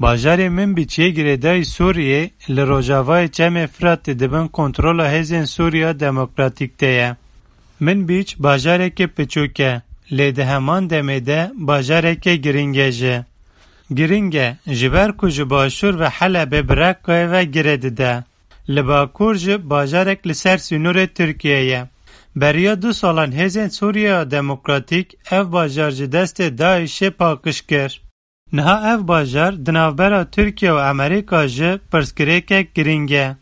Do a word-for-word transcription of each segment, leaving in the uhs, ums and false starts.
Bajarê Minbîç yê girêdayî Sûriyê li rojavayê Çemê Firatê di bin kontrola Hêzên Sûriya Demokratîk de ye. Minbîç bajareke piçûk e, lê di heman demê de bajareke girîng e jî. Girîng e, ji ber ku ji başûr ve Helebê bi Reqqayê ve girê dide. Li bakur jî bajarek li ser sînorê Tirkiyê ye. Beriya du salan Hêzên Sûriya Demokratîk ev bajar ji destê DAIŞê paqij kir. Niha ev bajar di navbera Tirkiye û Amerîka jî pirsgirêkek girîng e.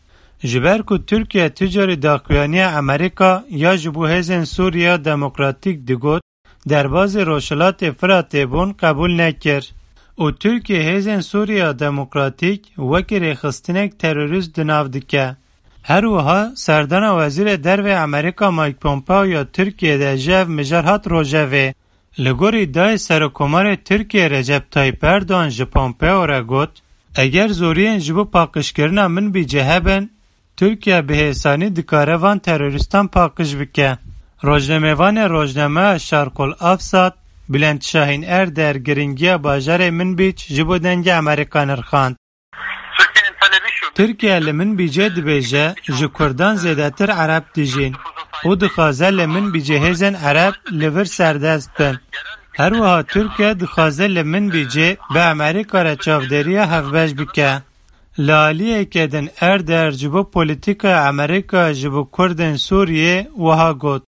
Ji ber ku Tirkiye tu carî daxuyaniya Amerîka ya ji bo Hêzên Sûriya Demokratîk digot, derbazê Rojhilatê Firatê bûn qebûl nekir û Tirkiye Hêzên Sûriya Demokratîk wekî rêxistinek terorîst di nav dike. Her wiha serdana Wezîrê Derve Amerîka Mike Pompeo ya Tirkiyê de ji ev mijar hat rojevê. Li gorî dayê Serokomarê Tirkiyê Recep Tayyip Erdogan ji Pompeo re got, eger zoriyên ji bo paqijkirina Minbicê hebin, Tirkiye bi hêsanî dikare van terorîstan paqij bike. Rojnamevanê rojnameya Şarkol Avsat, Bülent Şahin Erder girîngiya bajarê Minbîc ji bo Dengê Amerîka nirxand. Tirkiye li Minbicê dibêje, ji Kurdan zêdetir Ereb dijîn û dixwaze li Minbicê hêzên Ereb li vir serdest bin. Her wiha Tirkiye dixwaze li Minbicê bi Amerîka re çavdêriya hevbeş bike. Li aliyeke din Erder ji bo polîtîkaya Amerîka ji bo Kurdên Sûriyê wiha got,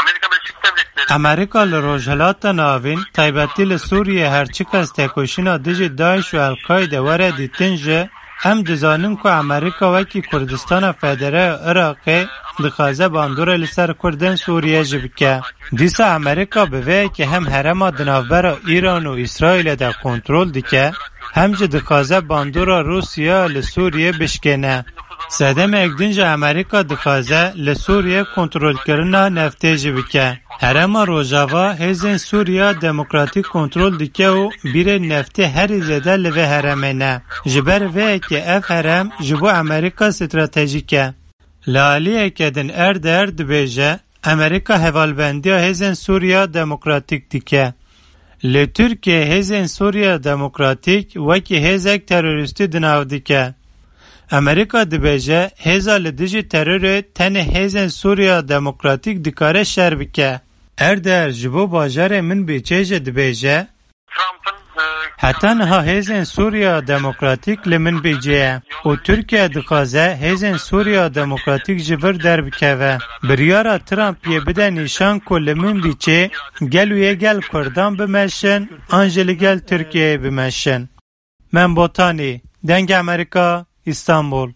Amerika Birleşik Devletleri Amerîka li Rojhilata Navîn, taybetî li Sûriyê her çiqas tekoşîna dijî DAIŞ û El-Qaîde were dîtin jî, em dizanin ku Amerîka wekî Kurdistana Federe ya Iraqê dixwaze bandorê li ser Kurdên Sûriyê jî bike. Dîsa Amerîka bi vê yekê hem herêma di navbera Îran û Îsraîlê de kontrol dike, hem jî dixwaze bandora Rûsya li Sûriyê bişkêne. Sedemek din jî Amerîka dixwaze li Sûriyê kontrolkirina neftê jî bike. Herêma Rojava hêzên Sûriya Demokratîk kontrol dike û bîrên neftê herî zêde li vê herêmê ne. Ji ber vê yekê ev herêm ji bo Amerîka stratejîk e. Li aliyeke din Erder dibêje, Amerîka hevalbendiya hêzên Sûriya Demokratîk dike. Li Tirkiye hêzên Sûriya Demokratîk wekî hêzek terorîstî di nav dike. Amerîka dibêje, hêza li dijî terorê tenê hêzên Sûriya Demokratîk dikare şer bike. Erder ji bo bajarê Minbicê jî dibêje, Trump'ın, e, Heta niha hêzên Sûriya Demokratîk li Minbicê ye û Tirkiye dixwaze hêzên Sûriya Demokratîk ji vir derbikeve. Biryara Trump yê bide nîşan ku li Minbicê gelo yê gel Kurdan bimeşin an jî li gel Tirkiyeyê bimeşin. Mem Botanî, Dengê Amerîka, Îstanbul.